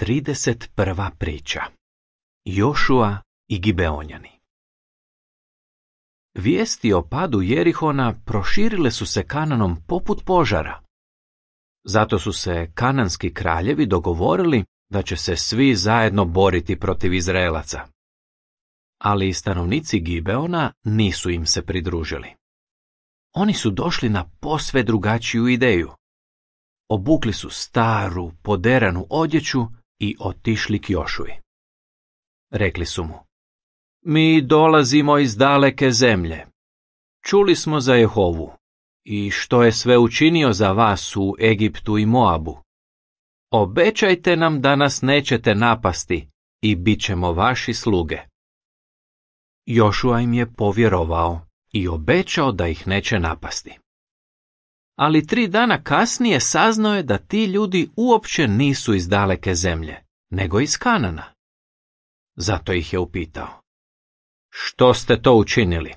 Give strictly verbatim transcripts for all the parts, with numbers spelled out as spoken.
trideset prva priča. Jošua i Gibeonjani. Vijesti o padu Jerihona proširile su se Kananom poput požara. Zato su se kananski kraljevi dogovorili da će se svi zajedno boriti protiv Izraelaca. Ali stanovnici Gibeona nisu im se pridružili. Oni su došli na posve drugačiju ideju. Obukli su staru, poderanu odjeću i otišli k Jošui. Rekli su mu: Mi dolazimo iz daleke zemlje. Čuli smo za Jehovu i što je sve učinio za vas u Egiptu i Moabu. Obećajte nam da nas nećete napasti i bit ćemo vaši sluge. Jošua im je povjerovao i obećao da ih neće napasti. Ali tri dana kasnije saznao je da ti ljudi uopće nisu iz daleke zemlje, nego iz Kanana. Zato ih je upitao: Što ste to učinili?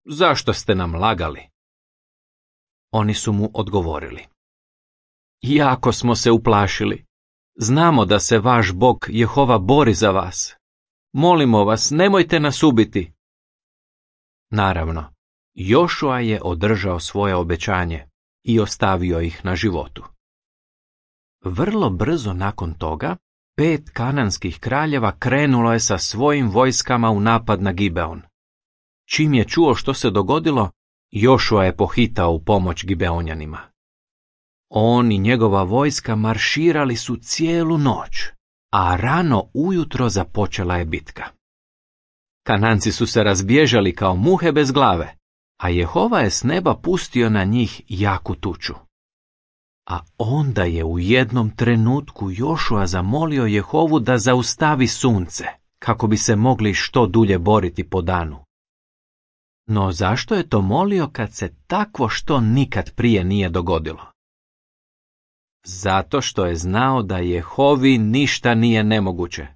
Zašto ste nam lagali? Oni su mu odgovorili: Jako smo se uplašili. Znamo da se vaš Bog Jehova bori za vas. Molimo vas, nemojte nas ubiti. Naravno, Jošua je održao svoje obećanje i ostavio ih na životu. Vrlo brzo nakon toga, pet kananskih kraljeva krenulo je sa svojim vojskama u napad na Gibeon. Čim je čuo što se dogodilo, Jošua je pohitao u pomoć Gibeonjanima. On i njegova vojska marširali su cijelu noć, a rano ujutro započela je bitka. Kananci su se razbježali kao muhe bez glave, a Jehova je s neba pustio na njih jaku tuču. A onda je u jednom trenutku Jošua zamolio Jehovu da zaustavi sunce, kako bi se mogli što dulje boriti po danu. No zašto je to molio kad se takvo što nikad prije nije dogodilo? Zato što je znao da Jehovi ništa nije nemoguće.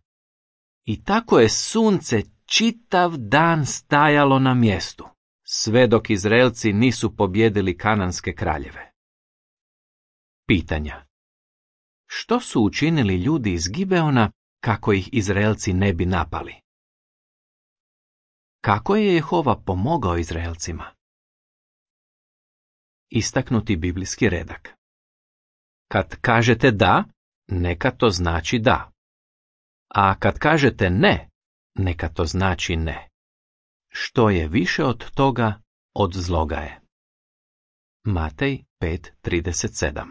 I tako je sunce čitav dan stajalo na mjestu, sve dok Izraelci nisu pobjedili kananske kraljeve. Pitanja. Što su učinili ljudi iz Gibeona kako ih Izraelci ne bi napali? Kako je Jehova pomogao Izraelcima? Istaknuti biblijski redak. Kad kažete da, neka to znači da. A kad kažete ne, neka to znači ne. Što je više od toga, od zloga je. Matej pet trideset sedam.